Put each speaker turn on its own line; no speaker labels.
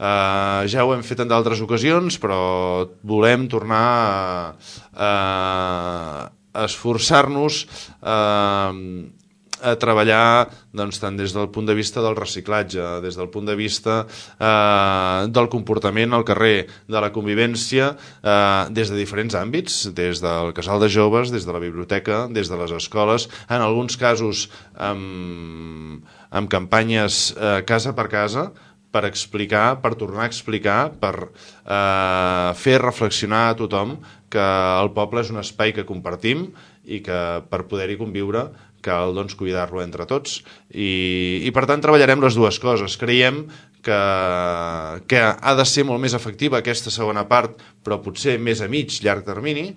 Ja ho hem fet en d'altres ocasions, però volem tornar a esforçar-nos a treballar tant des del punt de vista del reciclatge, des del punt de vista del comportament al carrer, de la convivència, des de diferents àmbits, des del casal de joves, des de la biblioteca, des de les escoles, en alguns casos amb campanyes casa per casa, per explicar, per tornar a explicar, per fer reflexionar a tothom que el poble és un espai que compartim i que per poder-hi conviure cal cuidar-lo entre tots i per tant treballarem les dues coses. Creiem que ha de ser molt més efectiva aquesta segona part, però potser més a mig, llarg termini,